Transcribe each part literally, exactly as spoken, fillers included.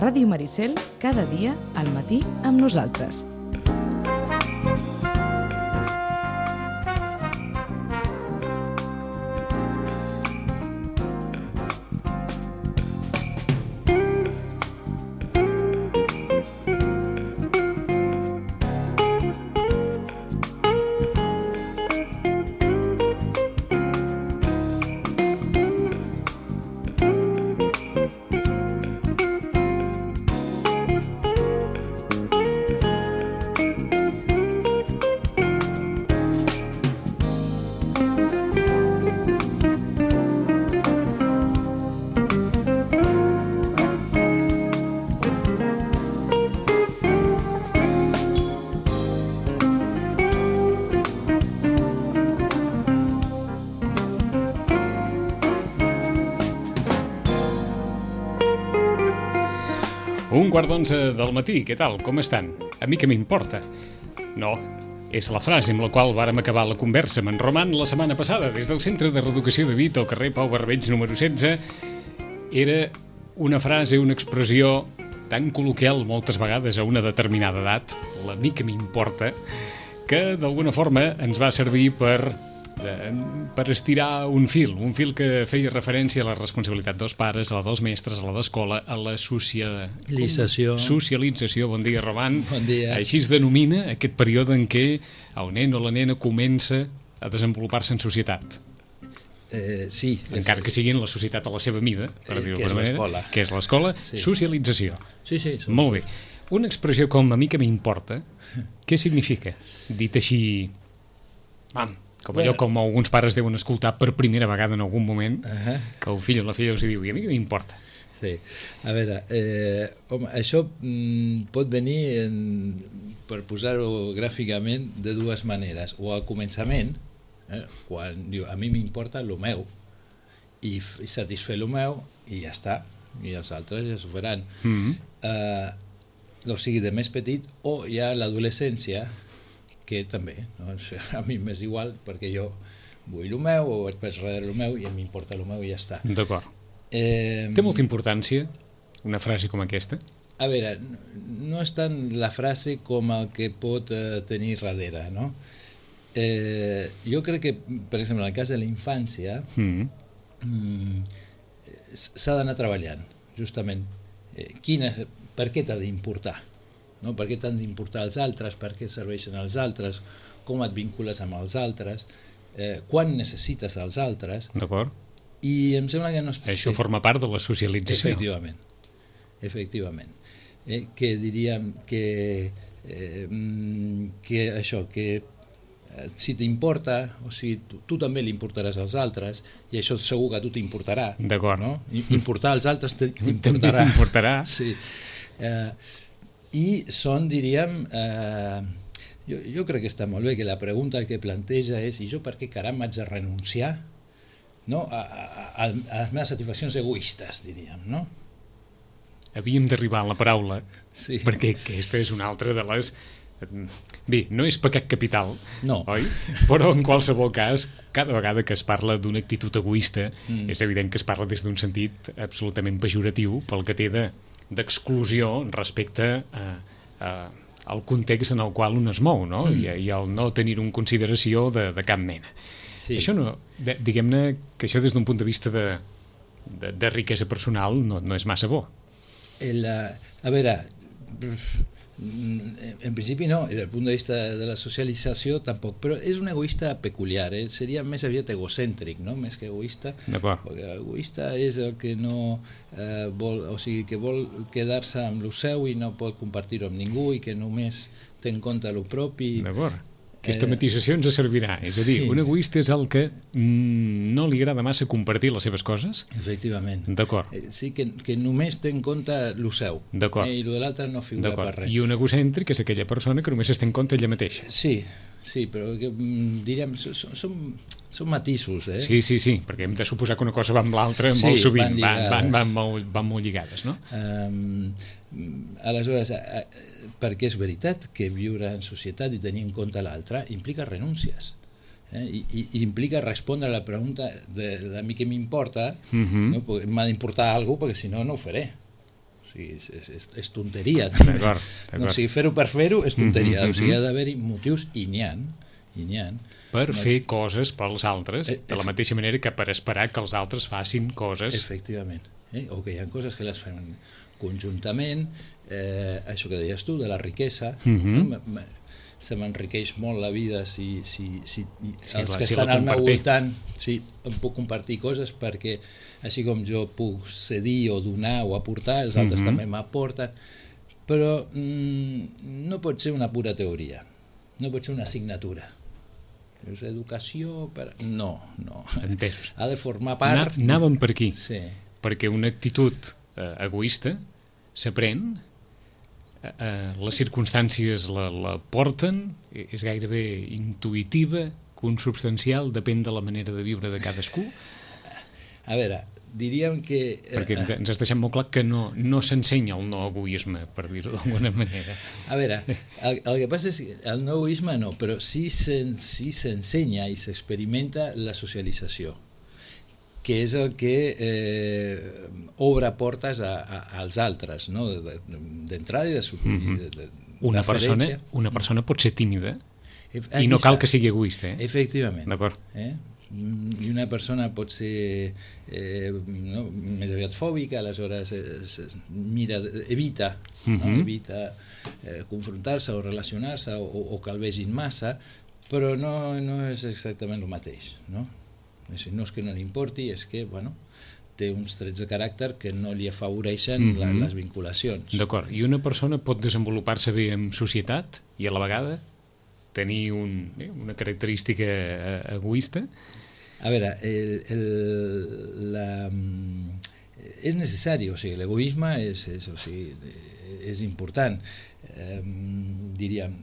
Ràdio Maricel, cada dia al matí amb nosaltres. Un quart d'onze del matí, què tal? Com estan? A mi què m'importa? No, és la frase amb la qual vàrem acabar la conversa amb en Roman la setmana passada, des del Centre de Reeducació de Vit, al carrer Pau Barbeig número setze. Era una frase, una expressió tan col·loquial moltes vegades a una determinada edat, la mi que m'importa, que d'alguna forma ens va servir per... per estirar un fil, un fil que feia referència a la responsabilitat dels pares, a la dels mestres, a la d'escola, a la socialització. Socialització, bon dia, Roman. Bon dia. Així es denomina aquest període en què el nen o la nena comença a desenvolupar-se en societat. Eh, sí. Encara que sigui en la societat a la seva mida, per eh, dir-ho que és manera, l'escola. Que és l'escola, sí. Socialització. Sí, sí. Som... Molt bé. Una expressió com a mi que m'importa, què significa? Dit així... Vam, com allò com alguns pares deuen escoltar per primera vegada en algun moment, uh-huh. que el fill o la filla els diu, i a mi què m'importa? Sí, a veure, eh, home, això mm, pot venir, en, per posar-ho gràficament, de dues maneres. O al començament, eh, quan diu, a mi m'importa el meu, i, i satisfer el meu, i ja està, i els altres ja s'ho faran. Mm-hmm. eh, o sigui, de més petit, o ja l'adolescència, que també, no? A mi m'és igual perquè jo vull el meu o vaig per darrere el meu i a mi m'importa el meu i ja està. D'acord. Eh, Té molta importància una frase com aquesta? A veure, no és tant la frase com el que pot eh, tenir darrere, no? Eh, jo crec que, per exemple, en el cas de la infància, mm. mm, s'ha d'anar treballant, justament. Eh, quina, per què t'ha d'importar? No? Per què t'han d'importar els altres, per què serveixen els altres, com et vincules amb els altres, eh, quan necessites els altres. D'acord. I em sembla que no es... Això sí. Forma part de la socialització. Efectivament, efectivament. Eh, que diríem que, eh, que això, que eh, si t'importa, o sigui, tu, tu també li importaràs als altres, i això segur que a tu t'importarà. D'acord. No? Importar als altres t'importarà. També t'importarà. Sí. Eh, I són, diríem, eh, jo, jo crec que està molt bé que la pregunta que planteja és i jo per què caram haig de renunciar, no? a, a, a, a les meves satisfaccions egoistes, diríem, no? Havíem d'arribar a la paraula, sí. Perquè aquesta és una altra de les... Bé, no és pecat capital, no. Oi? Però en qualsevol cas, cada vegada que es parla d'una actitud egoista, mm. és evident que es parla des d'un sentit absolutament pejoratiu pel que té de d'exclusió respecte a, a, al context en el qual un es mou, no? Mm. I, i el no tenir un consideració de, de cap mena. Sí. Això no, de, diguem-ne que això des d'un punt de vista de, de, de riquesa personal no, no és massa bo. El, a veure, en principi no, i del punt de vista de la socialització tampoc, però és un egoista peculiar, eh? Seria més aviat egocèntric, no? Més que egoista. D'acord. Perquè egoista és el que no eh, vol, o sigui, que vol quedar-se amb el seu i no pot compartir-ho amb ningú i que només té en compte el propi. D'acord. Aquesta matisació ens servirà, és a dir, sí. Un egoista és el que mm, no li agrada massa compartir les seves coses? Efectivament. D'acord. Sí, que, que només té en compte el seu. D'acord. Eh, I el de l'altre no figura per res. I un egocèntric és aquella persona que només es té en compte ella mateixa. Sí, sí, però que, diríem, són, són, són matisos, eh? Sí, sí, sí, perquè hem de suposar que una cosa va amb l'altra sí, molt sovint, van, van, van, molt, van molt lligades, no? Um, aleshores, perquè és veritat que viure en societat i tenir en compte l'altre implica renúncies, eh? I, i, i implica respondre a la pregunta de, de mi què m'importa, uh-huh. No? M'ha d'importar alguna cosa perquè si no no ho faré, o sigui, és, és, és tonteria. D'acord, d'acord. No, o sigui, fer-ho per fer-ho és tonteria, Mm-hmm. o sigui, ha d'haver-hi motius, i n'hi ha, i n'hi ha. Per no, fer coses pels altres, Eh, de la mateixa manera que per esperar que els altres facin coses. Efectivament. Eh? O que hi ha coses que les fem conjuntament, eh, això que deies tu, de la riquesa, Mhm. no? M- m- se m'enriqueix molt la vida si, si, si, Sí, els clar, que si la estan al meu compartim. voltant, sí, em puc compartir coses, perquè així com jo puc cedir o donar o aportar, els altres Mhm. també m'aporten, però mm, no pot ser una pura teoria, no pot ser una assignatura. És educació per... No, no. Entès. Ha de formar Anà- part... Anàvem per aquí, Sí. perquè una actitud eh, egoista s'aprèn, eh, eh, les circumstàncies la, la porten, eh, és gairebé intuïtiva, consubstancial, depèn de la manera de viure de cadascú, A veure, diríem que... eh, perquè ens, ens has deixat molt clar que no, no s'ensenya el no egoisme, per dir-ho d'alguna manera. A veure, el, el que passa és que el no egoisme no, però sí s'en- sí s'ensenya i s'experimenta la socialització, que és el que eh, obre portes a, a, als altres, no? De- de- d'entrada i de, su- Mhm. de, de, Una persona, deferència. una persona pot ser tímida Ef- i no aquí cal està. que sigui egoista, eh? Efectivament. D'acord. Eh? I una persona pot ser eh, no, més aviat fòbica, aleshores es, es mira, evita, no? Mhm. evita eh, confrontar-se o relacionar-se o, o que el vegin massa, però no, no és exactament el mateix, no? És, no és que no li importi, és que bueno, té uns trets de caràcter que no li afavoreixen Mhm. la, les vinculacions. D'acord. I una persona pot desenvolupar-se bé en societat i a la vegada tenir un, eh, una característica eh, egoista? A veure, el, el, la, mm, és necessari, o sigui, l'egoisme és, és, o sigui, és important. Eh, diríem,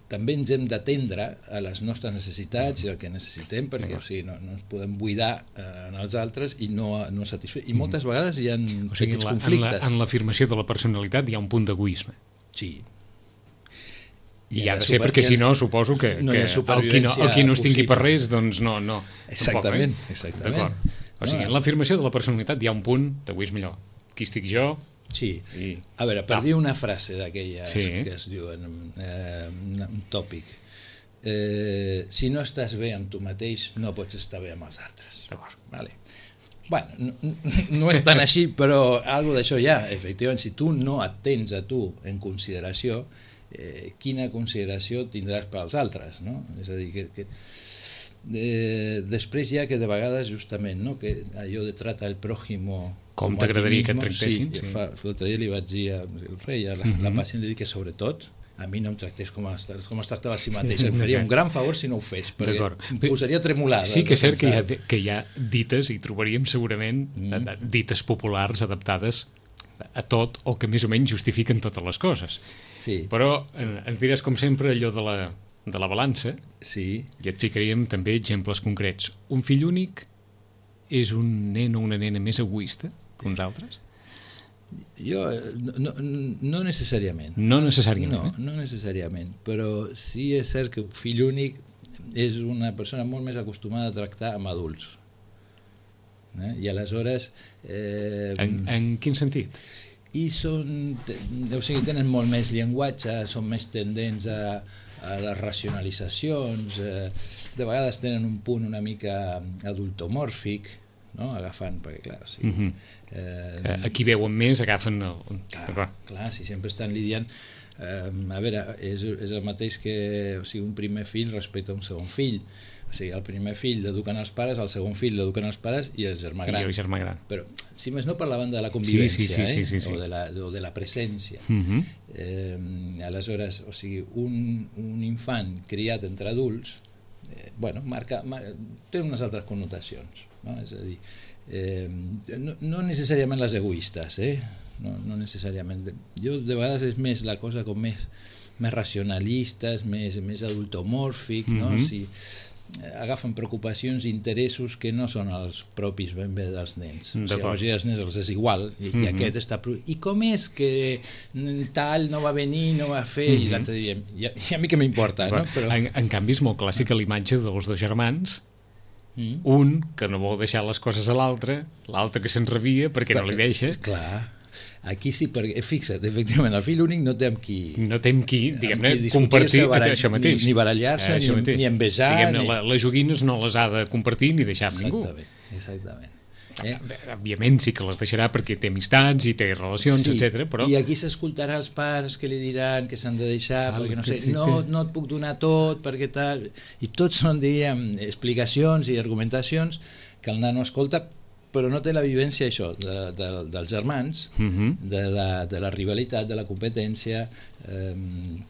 també ens hem d'atendre a les nostres necessitats i el que necessitem, perquè o sigui, no, no ens podem buidar eh, en els altres i no, no satisfer. I moltes vegades hi ha O sigui, petits la, en, conflictes. la, en l'afirmació de la personalitat hi ha un punt d'egoisme. Sí. I, ha ha de de ser super- perquè hi ha- si no suposo que, no hi que ha el, qui no, supervivència el qui no es tingui per possible. res doncs no, no Exactament, tampoc, eh? exactament. D'acord. O sigui, No. en l'afirmació de la personalitat hi ha un punt d'egoisme allò. Qui estic jo? Sí. I... A veure, per Clar. dir una frase d'aquelles Sí. que es diuen, eh, un tòpic, eh, si no estàs bé amb tu mateix, no pots estar bé amb els altres. D'acord. Vale. Bueno, no, no és tan així, però algo d'això hi ha. Efectivament, si tu no et tens a tu en consideració, eh, quina consideració tindràs per als altres, no? És a dir, que... que eh, després hi ha que de vegades justament, no? Que allò de trata el prójimo Com a ti t'agradaria que et mismo, tractessin, sí, sí. fa, l'altre dia li vaig dir al rei, a la, Mhm. la pacient li dic que sobretot a mi no em tractés com es, com es tractava a si mateix, em faria un gran favor si no ho fes, perquè D'acord. em posaria a tremolar. Sí que és cert que hi, ha, de pensar. que hi ha dites, i trobaríem segurament Mm. mm. dites populars adaptades a tot o que més o menys justifiquen totes les coses. Sí, Però eh, ens diràs, com sempre, allò de la, de la balança, sí. i et ficaríem també exemples concrets. Un fill únic és un nen o una nena més egoista que uns altres? Jo, eh, no, no, no necessàriament. No necessàriament. No, eh? no necessàriament, però sí és cert que un fill únic és una persona molt més acostumada a tractar amb adults. Eh? I aleshores... Eh, En, en quin sentit? I són, te- o sigui, tenen molt més llenguatge, són més tendents a, a les racionalitzacions, eh, de vegades tenen un punt una mica adultomòrfic, no? Agafant, perquè clar, o sigui, Mhm. eh, Eh, Aquí veuen més, agafen... El... clar, D'acord. clar, si sempre estan lidiant, eh, a veure, és, és el mateix que o sigui, un primer fill respecte a un segon fill. O sigui, el primer fill l'eduquen els pares, el segon fill l'eduquen els pares i el germà gran. I el germà gran. Però, si més no, parlaven de la convivència, Sí, sí, sí, eh? sí, sí, sí. O, de la, o de la presència. Mhm. Eh, aleshores, o sigui, un, un infant criat entre adults, eh, bueno, marca, marca, té unes altres connotacions, no? És a dir, eh, no, no necessàriament les egoistes, eh? no, no necessàriament. Jo, de vegades, és més la cosa com més, més racionalistes, més, més adultomòrfic, no? Mhm. Si, agafen preocupacions i interessos que no són els propis ben bé dels nens. O sigui, D'acord. als els nens els és igual i, Mhm. i aquest està... pro- I com és que tal no va venir, no va fer, Mhm. i l'altre diem, i, a- i a mi què m'importa, no? Però... En, en canvi, és molt clàssica l'imatge dels dos germans, Mm. un que no vol deixar les coses a l'altre, l'altre que se'n rebia perquè no li deixa. Clar. Aquí sí, perquè fixa't, efectivament, el fill únic no té amb qui... No té amb qui, diguem-ne, qui compartir barall, això mateix. Ni, ni barallar-se, eh, ni, ni envejar... Diguem-ne, ni... la, les joguines no les ha de compartir ni deixar amb ningú. Exactament, exactament. Eh? Òbviament sí que les deixarà perquè té amistats i té relacions, sí, etcètera. Però... I aquí s'escoltarà els pares que li diran que s'han de deixar, ah, perquè no sé, sí, no, no et puc donar tot, perquè tal... I tot són, diríem, explicacions i argumentacions que el nano escolta, però no té la vivència, això, de, de, dels germans, uh -huh. de, la, de la rivalitat, de la competència, eh,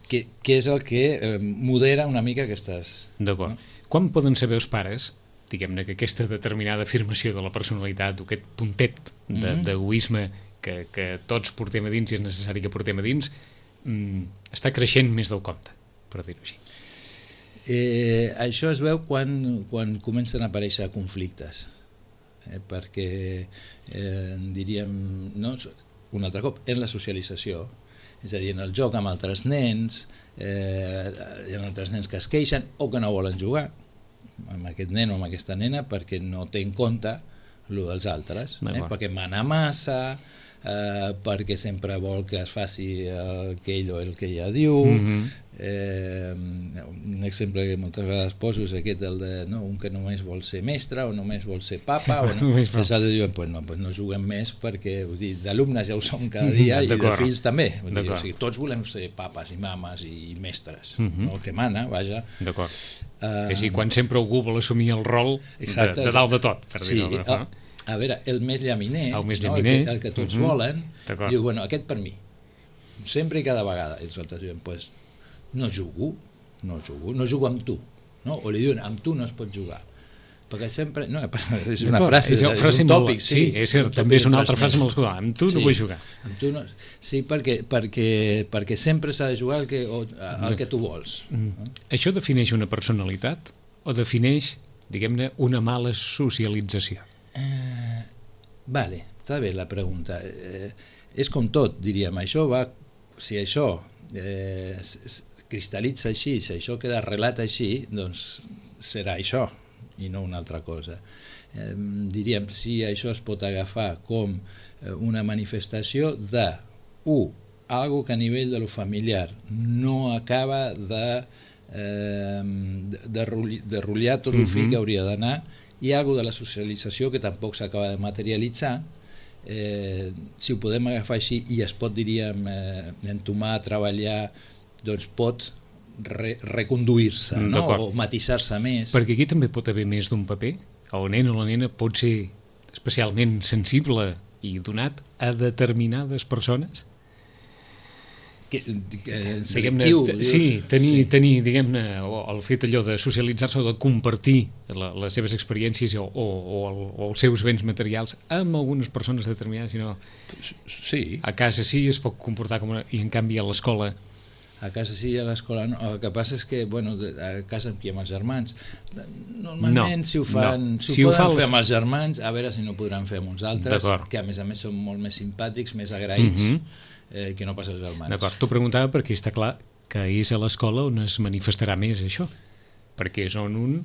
que, que és el que eh, modera una mica aquestes... D'acord. No? Quan poden saber els pares, diguem-ne, que aquesta determinada afirmació de la personalitat o aquest puntet d'egoisme mm-hmm. que, que tots portem a dins i és necessari que portem a dins, mm, està creixent més del compte, per dir-ho així? Eh, això es veu quan, quan comencen a aparèixer conflictes, eh, perquè eh, diríem, no, un altre cop, en la socialització, és a dir, en el joc amb altres nens, eh, hi ha altres nens que es queixen o que no volen jugar amb aquest nen o amb aquesta nena perquè no té en compte el dels altres, eh? Perquè mana massa, eh, perquè sempre vol que es faci el que ell o el que ella diu. Mm-hmm. eh, un exemple que moltes vegades poso és aquest, el de no, un que només vol ser mestre o només vol ser papa, o no, els altres diuen pues no, pues no juguem més perquè d'alumnes ja ho som cada dia i de fills també, dir, o sigui, tots volem ser papes i mames i mestres, mm-hmm. no? El que mana, vaja. D'acord. Uh, així, quan sempre algú vol assumir el rol exacte, de, de dalt de tot, per sí, dir-ho. A, a veure, el més llaminer, el, més no? llaminer. el, que, el que tots uh-huh. volen, diu, bueno, aquest per mi, sempre i cada vegada, i els altres diuen, pues, no jugo, no jugo, no jugo amb tu, no? O li diuen, amb tu no es pot jugar, perquè sempre, no, és una frase, és, és un tòpic, sí, sí, és cert, també és una altra frase amb l'escola, amb tu sí, no vull jugar. Amb tu no, sí, perquè, perquè, perquè sempre s'ha de jugar el que, el que tu vols. Mm. No? Això defineix una personalitat o defineix, diguem-ne, una mala socialització? Eh, vale, està bé la pregunta. Eh, és com tot, diríem, això va, si això eh, cristal·litza així, si això queda arrelat així, doncs serà això i no una altra cosa. Eh, diríem, si això es pot agafar com una manifestació de, u, algo que a nivell de lo familiar no acaba de, eh, de, de, de rotllar tot el fil que hauria d'anar, i algo de la socialització que tampoc s'acaba de materialitzar, eh, si ho podem agafar així i es pot, diríem, eh, entomar, treballar, doncs pot re reconduir-se, no? O matisar-se més. Perquè aquí també pot haver més d'un paper. El nen o la nena pot ser especialment sensible i donat a determinades persones. Que, que selectiu, sí, tenir, sí. tenir diguem-ne, el fet allò de socialitzar-se o de compartir la, les seves experiències o, o, o, el, o els seus béns materials amb algunes persones determinades, sinó sí. A casa sí es pot comportar com una, i en canvi a l'escola a casa sí, a l'escola no. El que passa és que, bueno, a casa amb qui, amb els germans, normalment no, si ho fan, no. si ho si poden ho fa fer els... amb els germans, a veure si no podran fer amb uns altres, que a més a més són molt més simpàtics, més agraïts, mm-hmm. eh, que no pas els germans. D'acord, t'ho preguntava perquè està clar que és a l'escola on es manifestarà més això, perquè és on un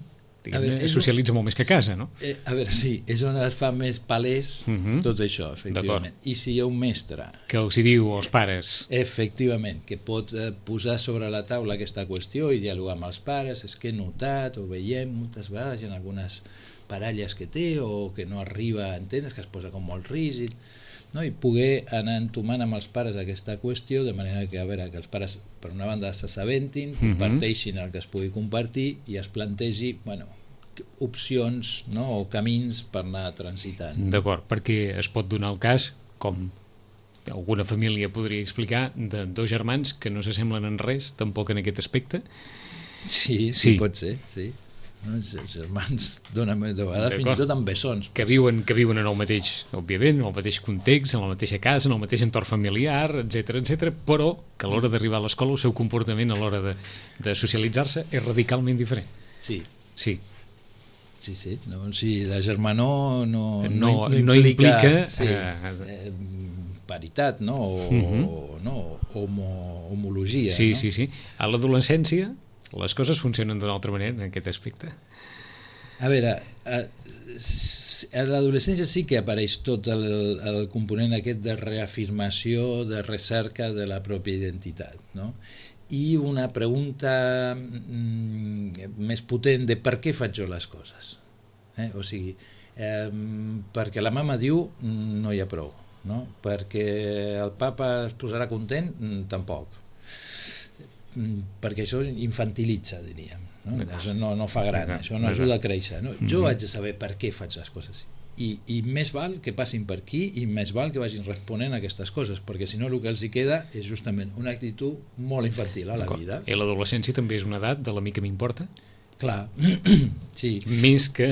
es socialitza molt més que a casa, no? Eh, a veure, sí, és on es fa més palès uh-huh. tot això, efectivament. I si hi ha un mestre... Que els hi diu als pares... Efectivament, que pot eh, posar sobre la taula aquesta qüestió i dialogar amb els pares, és que he notat o veiem moltes vegades en algunes parelles que té o que no arriba a entendre, que es posa com molt rígid, no? I poder anar entomant amb els pares aquesta qüestió de manera que, a veure, que els pares per una banda s'assabentin, uh-huh. comparteixin el que es pugui compartir i es plantegi, bueno, opcions, no? O camins per anar transitant. D'acord, perquè es pot donar el cas, com alguna família podria explicar, de dos germans que no s'assemblen en res, tampoc en aquest aspecte. Sí, sí, sí. Pot ser, sí. Els germans donen de vegades fins i tot amb bessons. Que viuen, que viuen en el mateix, òbviament, en el mateix context, en la mateixa casa, en el mateix entorn familiar, etcètera, etcètera, però que a l'hora d'arribar a l'escola el seu comportament a l'hora de, de socialitzar-se és radicalment diferent. Sí. Sí. Sí, sí. No, sí, la germanor no, no, no, no implica, no implica sí, eh, paritat, no? O, uh-huh. no? Homo, homologia. Sí, no? sí, sí. A l'adolescència les coses funcionen d'una altra manera en aquest aspecte. A veure, a, a l'adolescència sí que apareix tot el, el component aquest de reafirmació, de recerca de la pròpia identitat, no? I una pregunta mm, més potent de per què faig jo les coses. Eh? O sigui, eh, perquè la mama diu no hi ha prou, no? Perquè el papa es posarà content, tampoc. Perquè això infantilitza, diríem. No? Això no, no fa gran, això no ajuda a créixer. No? Jo haig de saber per què faig les coses. I, i més val que passin per aquí i més val que vagin responent a aquestes coses, perquè si no el que els hi queda és justament una actitud molt infantil a la vida. I l'adolescència també és una edat de la mi que m'importa? Clar, sí. Més que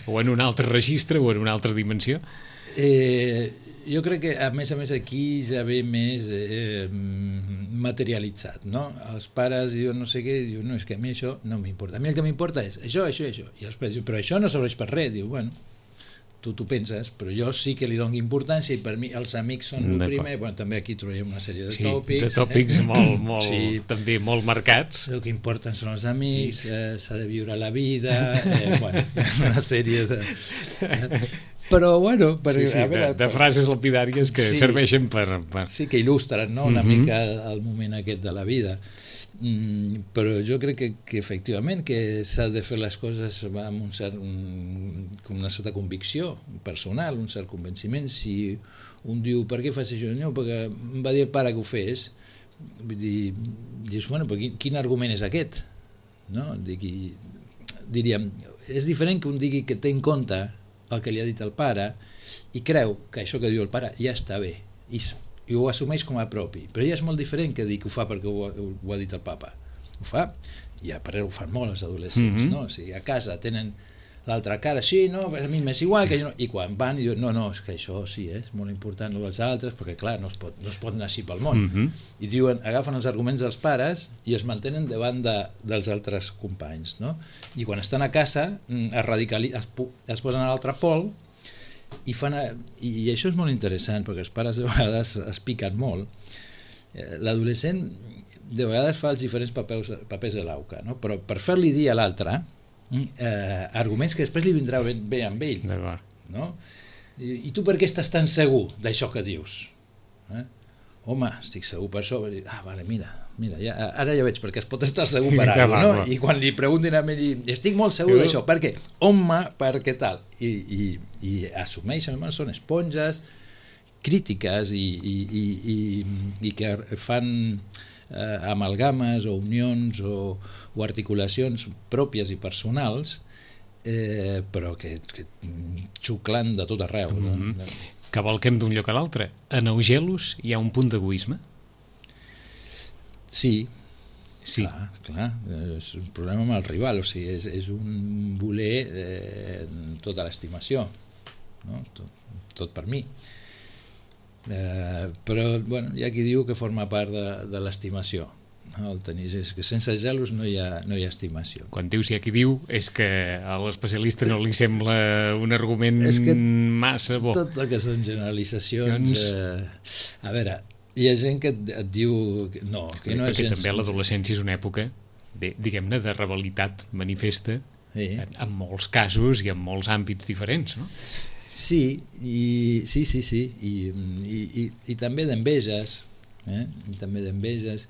o en un altre registre o en una altra dimensió? Eh, jo crec que a més a més aquí ja ve més eh, materialitzat, no? Els pares diuen no sé què, diuen no, és que a mi això no m'importa, a mi el que m'importa és això, això, això, i els pares diuen, però això no serveix per res, diu, bueno, tu t'ho penses, però jo sí que li dono importància i per mi els amics són el primer, bueno, també aquí trobem una sèrie de sí, tòpics. De tòpics eh? molt, molt, sí. també molt marcats. El que importen són els amics, eh, s'ha de viure la vida, eh, bueno, una sèrie de... Però, bueno... Per, sí, sí, a veure, de, de frases lapidàries que sí, serveixen per, per... Sí, que il·lustren, no?, una uh-huh. mica el, el moment aquest de la vida. Mm, però jo crec que, que efectivament que s'ha de fer les coses amb un cert, un, una certa convicció personal, un cert convenciment. Si un diu, per què fas això? No, perquè em va dir el pare que ho fes. Vull dir, dius, bueno, però quin, quin argument és aquest? No? Dic, diríem, és diferent que un digui que té en compte el que li ha dit el pare i creu que això que diu el pare ja està bé i, i ho assumeix com a propi, però ja és molt diferent que dir que ho fa perquè ho, ho, ho ha dit el papa. Ho fa, i a parer ho fan molt els adolescents, mm-hmm. no? O sigui, a casa tenen l'altra cara, sí, no, a mi m'és igual, que jo no... I quan van, diuen, no, no, és que això sí, eh, és molt important el dels altres, perquè clar, no es pot, no es pot anar així pel món. Mm-hmm. I diuen, agafen els arguments dels pares i es mantenen davant de, dels altres companys, no? I quan estan a casa, es, radicali... es, es posen a l'altre pol i fan... A... I això és molt interessant, perquè els pares de vegades es piquen molt. L'adolescent de vegades fa els diferents papers, papers de l'auca, no? Però per fer-li dir a l'altre Eh, arguments que després li vindrà bé, bé amb ell, no? I, I tu per què estàs tan segur d'això que dius? Eh? Home, estic segur per això. Ah, vale, mira, mira ja, ara ja veig perquè es pot estar segur per alguna cosa, no? I quan li preguntin a mi, estic molt segur d'això, per què? Home, per què tal? I, i, i assumeixen, són esponges crítiques i, i, i, i, i que fan eh, amalgames o unions o, o articulacions pròpies i personals, eh, però que, que xuclant de tot arreu. Mm-hmm. No? Cavalquem d'un lloc a l'altre. En Augelos hi ha un punt d'egoisme? Sí. Sí. Clar, clar, és un problema amb el rival, o sigui, és, és un voler eh, tota l'estimació, no? tot, tot per mi. Eh, però bueno, hi ha qui diu que forma part de, de l'estimació, no? El tenir, és que sense gelos no hi ha, no hi ha estimació. Quan dius hi ha qui diu és que a l'especialista no li sembla un argument massa bo. Tot el que són generalitzacions, eh, a veure, hi ha gent que et, et diu que no, que no és perquè gens... també l'adolescència és una època de, diguem-ne, de rebel·litat manifesta, sí. en, en molts casos i en molts àmbits diferents, no? Sí, i, sí, sí, sí, i, i, i, i també d'enveges, eh? I també d'enveges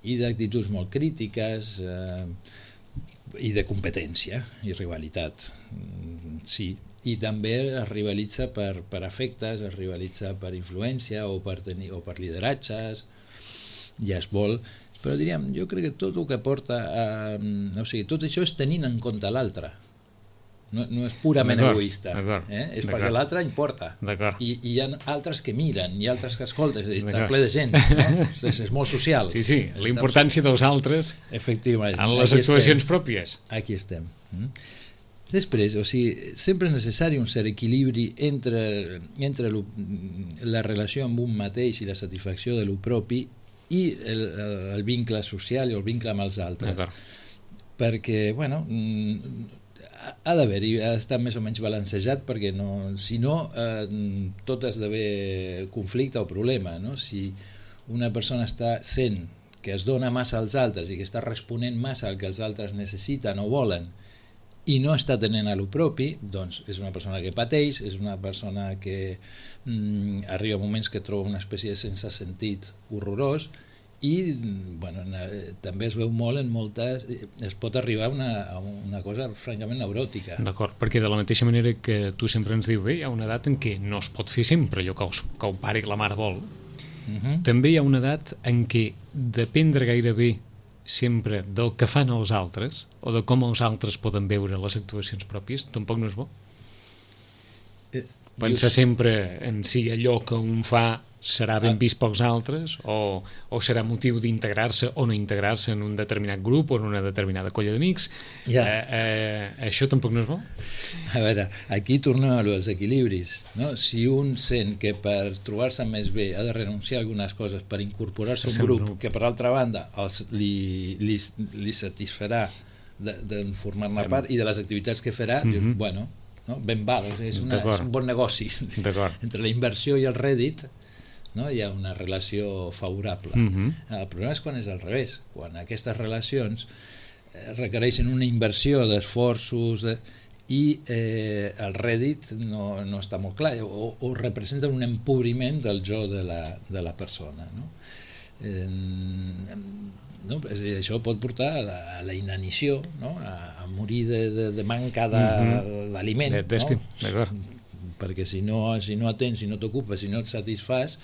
i d'actituds molt crítiques eh, i de competència i rivalitat, sí, i també es rivalitza per, per afectes, es rivalitza per influència o per, tenir, o per lideratges, ja es vol, però diríem, jo crec que tot el que porta a... O sigui, tot això és tenint en compte l'altre. No, no és purament egoista, eh? És perquè l'altre importa I, i hi ha altres que miren i altres que escolten, està ple de gent, no? és, és molt social. Sí, sí, la importància dels altres efectivament en les actuacions estem. pròpies. Aquí estem. Després, o sigui, sempre és necessari un cert equilibri entre, entre lo, la relació amb un mateix i la satisfacció de lo propi i el, el vincle social i el vincle amb els altres. Perquè, bueno, ha d'haver-hi, ha d'estar més o menys balancejat, perquè no, si no eh, tot esdevé conflicte o problema, no? Si una persona està sent que es dona massa als altres i que està responent massa al que els altres necessiten o volen i no està tenint a lo propi, doncs és una persona que pateix, és una persona que mm, arriba a moments que troba una espècie de sense sentit horrorós, i bueno, també es veu molt en moltes, es pot arribar a una, a una cosa francament neuròtica. D'acord, perquè de la mateixa manera que tu sempre ens dius, bé, hi ha una edat en què no es pot fer sempre allò que, els, que el pare i la mare vol. Uh-huh. També hi ha una edat en què dependre gairebé sempre del que fan els altres o de com els altres poden veure les actuacions pròpies, tampoc no és bo. Eh, Pensar jo... sempre en si allò que un fa serà ben vist pels altres o, o serà motiu d'integrar-se o no integrar-se en un determinat grup o en una determinada colla d'amics. Ja. Eh, eh, això tampoc no és bo? A veure, aquí tornem als equilibris, no? Si un sent que per trobar-se més bé ha de renunciar a algunes coses per incorporar-se a un grup que per altra banda els, li, li, li satisfarà de, de formar-ne part i de les activitats que farà, mm-hmm. dius, bueno, no? Ben val, és, una, és un bon negoci. Entre la inversió i el rèdit, no? Hi ha una relació favorable. Uh-huh. El problema és quan és al revés, quan aquestes relacions requereixen una inversió d'esforços de, i eh, el rèdit no, no està molt clar o, o representa un empobriment del jo de la, de la persona, no? Eh, no? Això pot portar a la, a la inanició, no? a, a morir de, de, de manca d'aliment, uh-huh. d'estim, no? D'acord. Perquè si no, si no atens, si no t'ocupes, si no et satisfàs,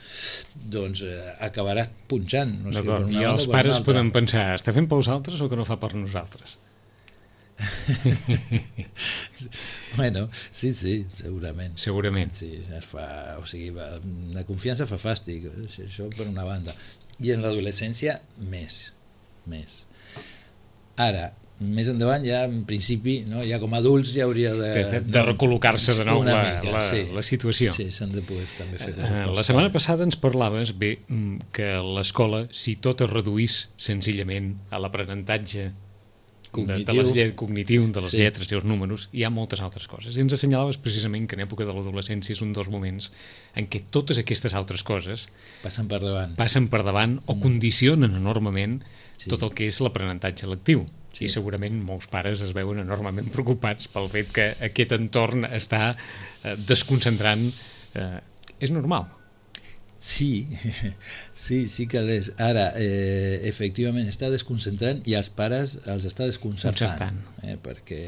doncs eh, acabaràs punxant. No sé, d'acord, i els pares poden pensar, està fent pels altres o que no fa per nosaltres? Bueno, sí, sí, segurament. Segurament. Sí, es fa, o sigui, la confiança fa fàstic, això per una banda. I en l'adolescència, més, més. Ara, més endavant ja en principi, no, ja com a adults ja hauria de... De, de recol·locar-se de nou la, mica, la, sí. la situació. Sí, s'han de poder també fer coses. Uh, la setmana passada ens parlaves, bé, que l'escola, si tot es reduís senzillament a l'aprenentatge cognitiu de, de, les, cognitiu, de les sí. lletres i els números, hi ha moltes altres coses. I ens assenyalaves precisament que en època de l'adolescència és un dels moments en què totes aquestes altres coses passen per davant, passen per davant o mm. condicionen enormement sí. tot el que és l'aprenentatge lectiu. Sí. I segurament molts pares es veuen enormement preocupats pel fet que aquest entorn està eh, desconcentrant. Eh, és normal. Sí, sí, sí que és. Ara, eh, efectivament, està desconcentrant i els pares els està desconcertant. Eh, perquè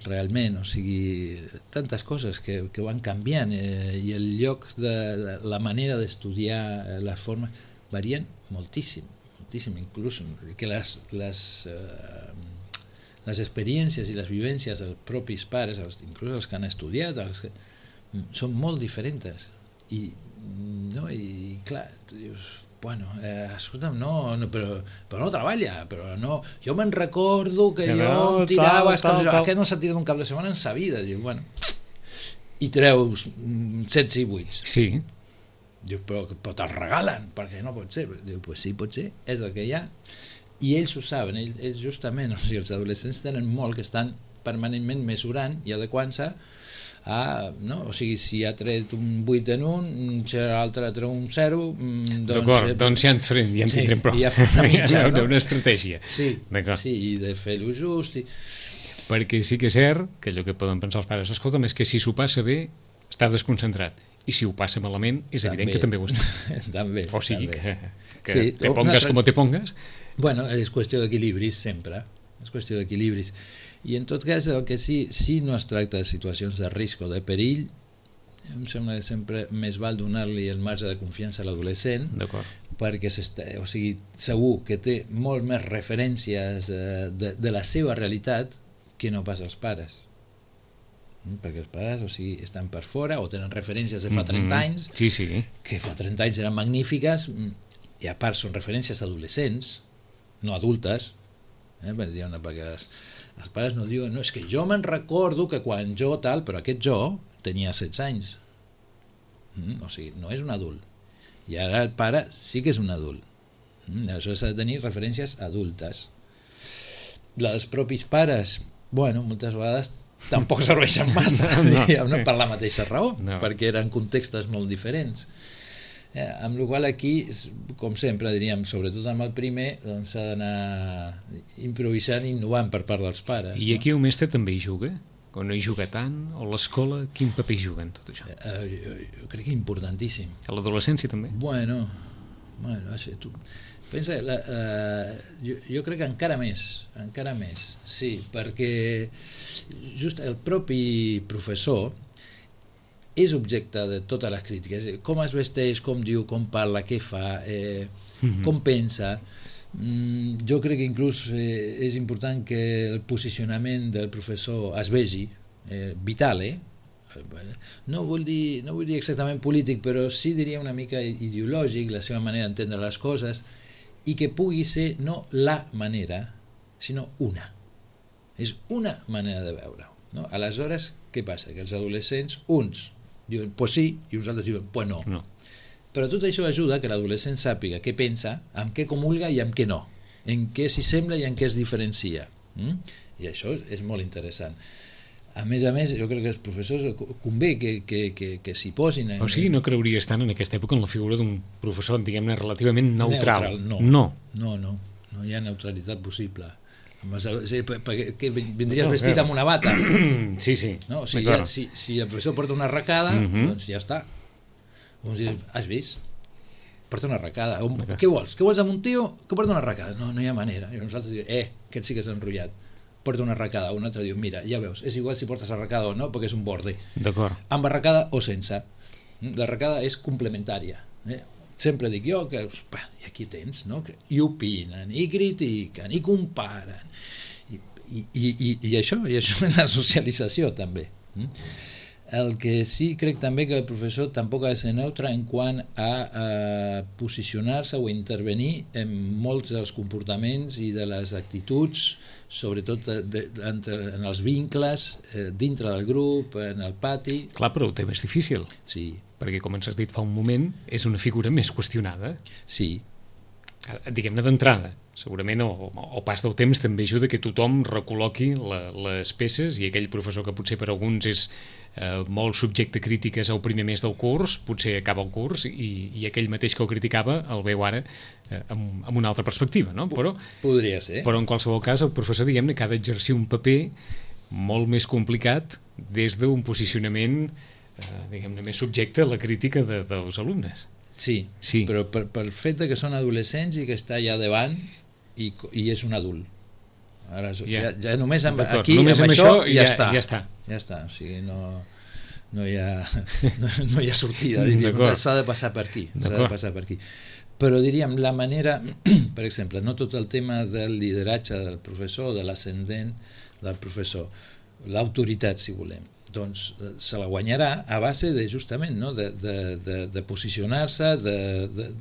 realment, o sigui, tantes coses que, que van canviant eh, i el lloc de, de la manera d'estudiar, les formes, varien moltíssim, moltíssim, inclús que les, les, eh, les experiències i les vivències dels propis pares, els, inclús els que han estudiat, els que, són molt diferents. I no, i clar, dius, bueno, eh, escolta'm, no, no però, però no treballa, però no, jo me'n recordo que, que jo no, em tirava, tal, tal, tal. Que no s'ha tirat un cap de setmana en sa vida, dius, bueno, i treus setze i vuit. Sí. Dius, però, però te'l regalen, perquè no pot ser. Diu, pues sí, pot ser, és el que hi ha. I ells ho saben, ells, ells justament, o sigui, els adolescents tenen molt que estan permanentment mesurant i adequant-se a, no? O sigui, si ha tret un vuit en un, si l'altre ha tret un zero, doncs... D'acord, doncs ja en, farem, ja en sí, tindrem prou. Ja una mitja, no? Una estratègia. Sí, sí, i de fer-ho just. I... Perquè sí que és cert que allò que poden pensar els pares, escolta'm, és que si s'ho passa bé, està desconcentrat. I si ho passa malament, és també, evident que també ho està. També. O sigui, també. que, que sí, te pongues altra... com te pongues. Bueno, és qüestió d'equilibris, sempre. És qüestió d'equilibris. I en tot cas, el que sí, si no es tracta de situacions de risc o de perill, em sembla que sempre més val donar-li el marge de confiança a l'adolescent, perquè o sigui, segur que té molt més referències eh, de, de la seva realitat que no pas els pares. Perquè els pares, o sigui, estan per fora o tenen referències de fa trenta mm-hmm. anys, sí, sí. que fa trenta anys eren magnífiques, i a part són referències adolescents, no adultes, eh? perquè les els pares no diuen, no, és que jo me'n recordo que quan jo tal, però aquest jo tenia setze anys. Mm, o sigui, no és un adult. I ara el pare sí que és un adult. Mm, aleshores s'ha de tenir referències adultes. Els propis pares, bueno, moltes vegades tampoc serveixen massa, no, diguem, no, per la mateixa raó, no. Perquè eren contextes molt diferents. Eh, amb la qual aquí, com sempre, diríem, sobretot amb el primer, doncs s'ha d'anar improvisant i innovant per part dels pares. I aquí no? El mestre també hi juga? O no hi juga tant? O l'escola? Quin paper hi juga en tot això? Eh, jo, jo crec que importantíssim. A l'adolescència també? Bueno, bueno, això, tu... Pensa, la, uh, jo, jo crec que encara més, encara més, sí, perquè just el propi professor és objecte de totes les crítiques, com es vesteix, com diu, com parla, què fa, eh, mm-hmm. com pensa. Mm, jo crec que inclús eh, és important que el posicionament del professor es vegi, eh, vital, eh? No vull dir, no vull dir exactament polític, però sí diria una mica ideològic, la seva manera d'entendre les coses, i que pugui ser no la manera, sinó una. És una manera de veure-ho. No? Aleshores, què passa? Que els adolescents, uns diuen pues sí, i uns altres diuen pues no. no. Però tot això ajuda que l'adolescent sàpiga què pensa, amb què comulga i amb què no, en què s'hi sembla i en què es diferencia. Mm? I això és, és molt interessant. A més a més, jo crec que els professors convé que, que, que, que s'hi posin... En... O sigui, no creuries tant en aquesta època en la figura d'un professor, diguem-ne, relativament neutral. Neutral, no. No. No, no, no hi ha neutralitat possible. Sí, que vindries vestit amb una bata. Sí, sí. No? O sigui, ja, si, si el professor porta una arracada, uh-huh. doncs ja està. Uns diuen, has vist? Porta una arracada. Què vols? Què vols amb un tio que porta una arracada? No, no hi ha manera. I nosaltres diem, eh, aquest sí que s'ha enrotllat. Porta una arracada. Un altre diu, mira, ja veus, és igual si portes arracada o no, perquè és un borde. D'acord. Amb arracada o sense. L'arracada és complementària. Eh? Sempre dic jo que, bueno, i aquí tens, no? I opinen, i critiquen, i comparen, i, i, i, i això, i això és la socialització també. El que sí crec també que el professor tampoc ha de ser neutre en quant a, a posicionar-se o intervenir en molts dels comportaments i de les actituds, sobretot de, de, entre, en els vincles, eh, dintre del grup, en el pati. Clar, però ho té més difícil. Sí. Perquè, com ens has dit fa un moment, és una figura més qüestionada. Sí. Diguem-ne d'entrada. Segurament el, el pas del temps també ajuda que tothom recol·loqui la, les peces, i aquell professor que potser per alguns és eh, molt subjecte a crítiques al primer mes del curs, potser acaba el curs i, i aquell mateix que el criticava el veu ara eh, amb, amb una altra perspectiva, no? Però, podria ser. Però en qualsevol cas el professor, diguem-ne, que ha d'exercir un paper molt més complicat des d'un posicionament eh, diguem-ne, més subjecte a la crítica de, dels alumnes. Sí, sí. Però per, per fet que són adolescents i que està allà davant i, i és un adult. Ara, ja, ja només amb, aquí, només amb, amb això, això ja, ja, està. ja està. Ja està, o sigui, no, no, hi, ha, no, no hi ha sortida, diríem, s'ha de passar per aquí. S'ha de passar per aquí. Però diríem, la manera, per exemple, no tot el tema del lideratge del professor, de l'ascendent del professor, l'autoritat, si volem, doncs se la guanyarà a base de, justament, no? de, de, de, de posicionar-se, de, de,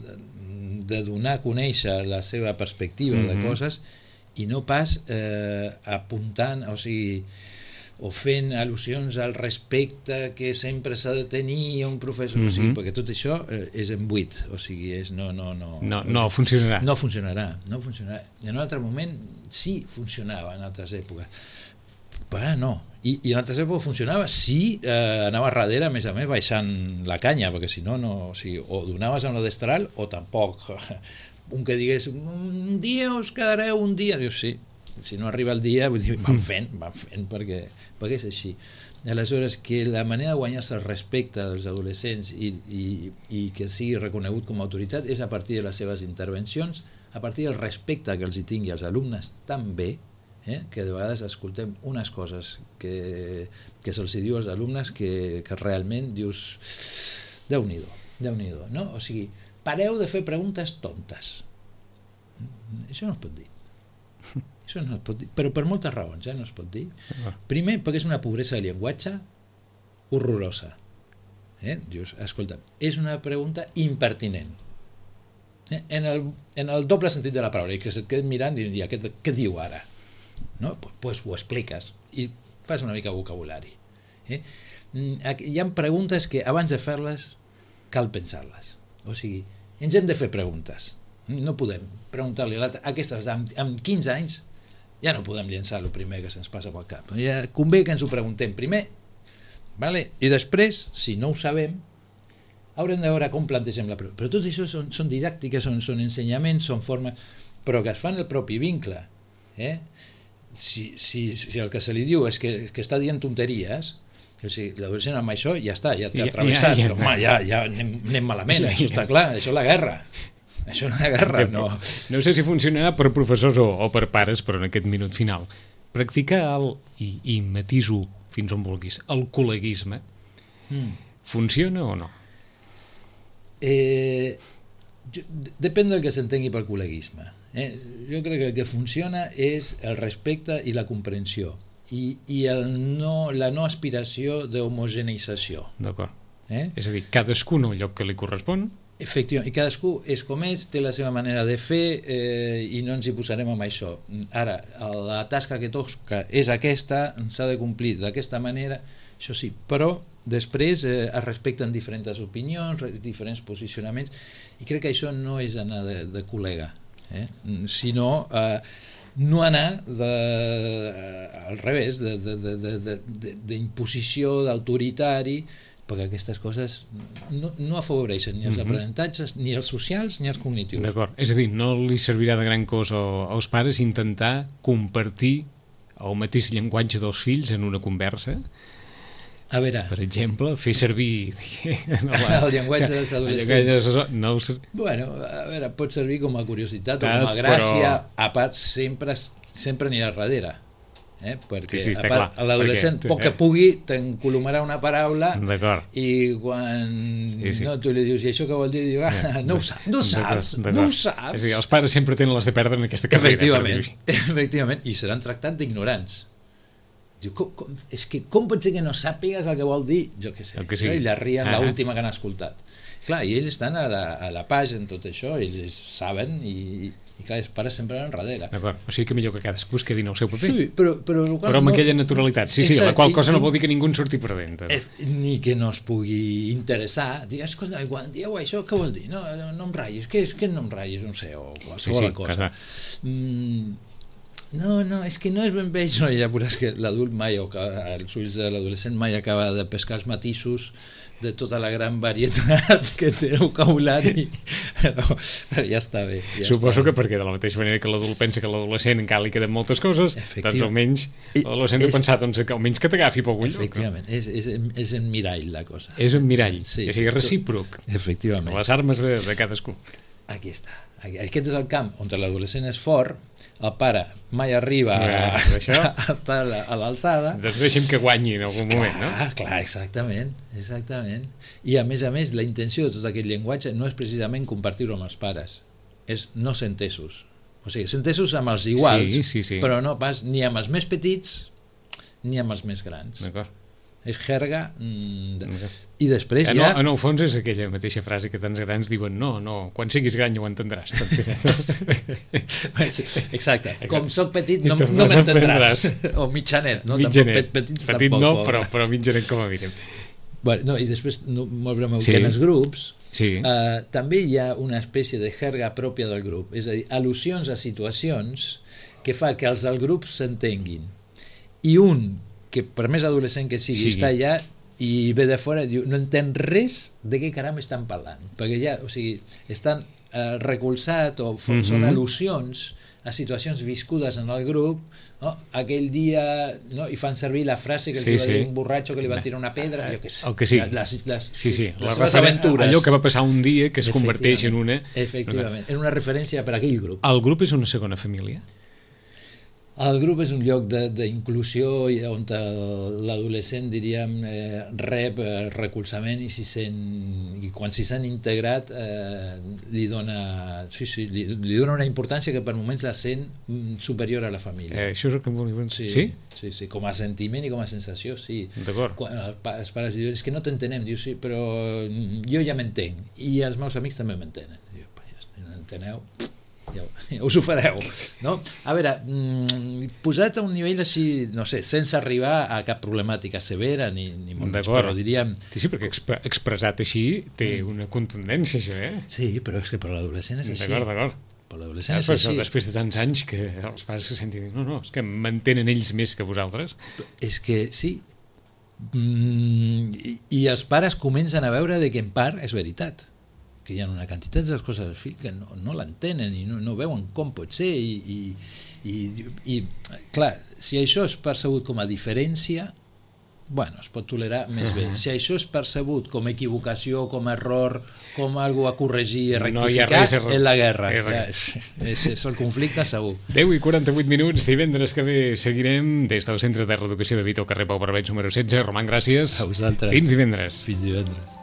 de donar a conèixer la seva perspectiva mm-hmm. de coses i no pas eh, apuntant, o sigui, o fent al·lusions al respecte que sempre s'ha de tenir un professor, mm-hmm. o sigui, perquè tot això eh, és en buit, o sigui, és, no, no, no, no, no funcionarà. No funcionarà, no funcionarà. I en un altre moment sí funcionava en altres èpoques, però ara no. I, i en altres èpoques funcionava si eh, anava darrere, a més a més, baixant la canya, perquè si no, no o, sigui, o donaves amb la destral o tampoc. Un que digués, un dia us quedareu un dia, dius sí, si no arriba el dia, vull dir, van fent, van fent, perquè, perquè és així. Aleshores, que la manera de guanyar-se el respecte dels adolescents i, i, i que sigui reconegut com a autoritat és a partir de les seves intervencions, a partir del respecte que els hi tingui als alumnes també, eh? que de vegades escoltem unes coses que, que se'ls diu als alumnes que, que realment dius Déu-n'hi-do, Déu-n'hi-do, no? O sigui, pareu de fer preguntes tontes. Això no es pot dir. Això no es pot dir, però per moltes raons, eh? No es pot dir. Primer, perquè és una pobresa de llenguatge horrorosa. Eh? Dius, escolta, és una pregunta impertinent. Eh? En, el, en el doble sentit de la paraula, i que se't queden mirant i dir, què, què diu ara? No? Pues ho expliques i fas una mica vocabulari. Eh? Hi ha preguntes que abans de fer-les cal pensar-les. O sigui, ens hem de fer preguntes. No podem preguntar-li a l'altre, aquestes amb, amb quinze anys ja no podem llençar el primer que se'ns passa pel cap. Ja convé que ens ho preguntem primer, vale? I després, si no ho sabem, haurem de veure com plantegem la pregunta. Però tot això són, són didàctiques, són, són ensenyaments, són formes, però que es fan el propi vincle. Eh? Si, si, si el que se li diu és que, que està dient tonteries, o sigui, l'adolescent amb això ja està, ja t'ha travessat, ja, ja, ja, ja, ja anem, anem malament, això està clar, això és la guerra. Això no és guerra, no. No sé si funcionarà per professors o, o per pares, però en aquest minut final. Practicar el, i, i matiso fins on vulguis, el col·leguisme, mm. funciona o no? Eh, jo, depèn del que s'entengui per col·leguisme. Eh? Jo crec que el que funciona és el respecte i la comprensió i, i el no, la no aspiració d'homogeneïtzació. D'acord. Eh? És a dir, cadascú en el lloc que li correspon. Efectivament, i cadascú és com és, té la seva manera de fer eh, i no ens hi posarem amb això. Ara, la tasca que toca és aquesta, s'ha de complir d'aquesta manera, això sí, però després eh, es respecten diferents opinions, diferents posicionaments, i crec que això no és anar de, de col·lega, eh? sinó eh, no anar de, eh, al revés, d'imposició, d'autoritari, perquè aquestes coses no, no afavoreixen ni els mm-hmm. aprenentatges, ni els socials ni els cognitius. D'acord, és a dir, no li servirà de gran cosa als pares intentar compartir el mateix llenguatge dels fills en una conversa. A veure, per exemple, fer servir no, la, el llenguatge dels adolescents. No ho sé. Bueno, a veure, pot servir com a curiositat o com a gràcia, però... a part sempre, sempre anirà darrere. Eh? Perquè sí, sí, a part, l'adolescent, poc que pugui, t'encolomarà una paraula i quan sí, sí. No, tu li dius, i això què vol dir? Diu, ah, no ho saps, no ho saps, no ho saps. És a dir, els pares sempre tenen les de perdre en aquesta carrera. Efectivament, efectivament, i seran tractats d'ignorants. Diu, com, com, és que com pot ser que no sàpigues el que vol dir? Jo què sé, que sí. I la rien ah, l'última que han escoltat. Clar, i ells estan a la, a la pàgina en tot això, ells saben i, i clar, els pares sempre van darrere. D'acord, o sigui que millor que cadascú es quedi en el seu paper. Sí, però, però, però amb no... aquella naturalitat, sí, sí, exacte, la qual cosa i, no vol dir que ningú en surti perdent. Eh, ni que no es pugui interessar, dir, escolta, quan dieu això, què vol dir? No, no em ratllis, què és que no em ratllis, no sé, o qualsevol sí, sí, cosa. Mm, no, no, és que no és ben bé això, ja veuràs que l'adult mai, o que els ulls de l'adolescent mai acaba de pescar els matisos de tota la gran varietat que té el vocabulari, però, però ja està bé. Ja Suposo està que perquè de la mateixa manera que l'adult pensa que l'adolescent encara li queden moltes coses, doncs almenys l'adolescent de pensar doncs, que almenys que t'agafi pel ull. Efectivament, no? és, és, és en mirall la cosa. És en mirall, sí, és sí, recíproc. Efectivament. Les armes de, de cadascú. Aquí està. Aquest és el camp on l'adolescent és fort, el pare mai arriba a, a estar a l'alçada. Doncs deixem que guanyi en algun clar, moment, no? Clar, exactament, exactament. I a més a més, la intenció de tot aquest llenguatge no és precisament compartir-ho amb els pares, és no ser entesos. O sigui, ser entesos amb els iguals, sí, sí, sí. però no pas ni amb els més petits ni amb els més grans. D'acord. És jerga mm, i després en ja... El, en el fons és aquella mateixa frase que tants grans diuen no, no, quan siguis gran ja ho entendràs. Exacte, com soc petit no, no m'entendràs. O mitjanet, no? Mitjanet, petit, petit no, però, però mitjanet com a mínim. Bueno, no, i després, no, molt breu, sí. que en els grups sí. eh, també hi ha una espècie de jerga pròpia del grup, és a dir, al·lusions a situacions que fa que els del grup s'entenguin. I un que per més adolescent que sigui, sí. està allà i ve de fora i diu, no entén res de què caram estan parlant, perquè ja, o sigui, estan eh, recolzat o mm-hmm. són al·lusions a situacions viscudes en el grup, no? Aquell dia, no? I fan servir la frase que els sí, va dir sí. un borratxo que li va tirar una pedra, jo què sé. El que sí. Les, les, sí, sí. les la seves aventures. Allò que va passar un dia que es converteix en una... Efectivament, en una referència per a aquell grup. El grup és una segona família? El grup és un lloc d'inclusió on l'adolescent, diríem, eh, rep eh, recolzament i, si sent, i quan s'hi sent integrat eh, li, dona, sí, sí, li, li dona una importància que per moments la sent superior a la família. Eh, això és el que em volia dir. Sí, sí? Sí, sí, com a sentiment i com a sensació, sí. D'acord. Quan els pares diuen, és que no t'entenem, diu, sí, però jo ja m'entenc i els meus amics també m'entenen. Diu, ja no enteneu... Ja, ja us ho fareu, no? A veure, mmm, posat a un nivell així, no sé, sense arribar a cap problemàtica severa ni, ni molt més, però diríem... Sí, sí, perquè exp expressat així té una contundència, això, eh? Sí, però és que per l'adolescent és així. D'acord, d'acord. Per l'adolescent és així. Després de tants anys que els pares se sentin, no, no, és que m'entenen ells més que vosaltres. És que sí, mm, i, i els pares comencen a veure de que en part és veritat, que hi ha una quantitat de coses del fill que no, no l'entenen i no, no veuen com pot ser i, i, i, i clar, si això és percebut com a diferència, bueno, es pot tolerar més bé. Si això és percebut com equivocació, com error, com algo a corregir, a rectificar, no és la guerra. Ja, és, és el conflicte segur. deu i quaranta-vuit minuts, divendres que ve seguirem des del Centre de Reeducació de Vito, carrer Pau Barbeig número setze. Roman, gràcies. A vosaltres. Fins divendres. Fins divendres.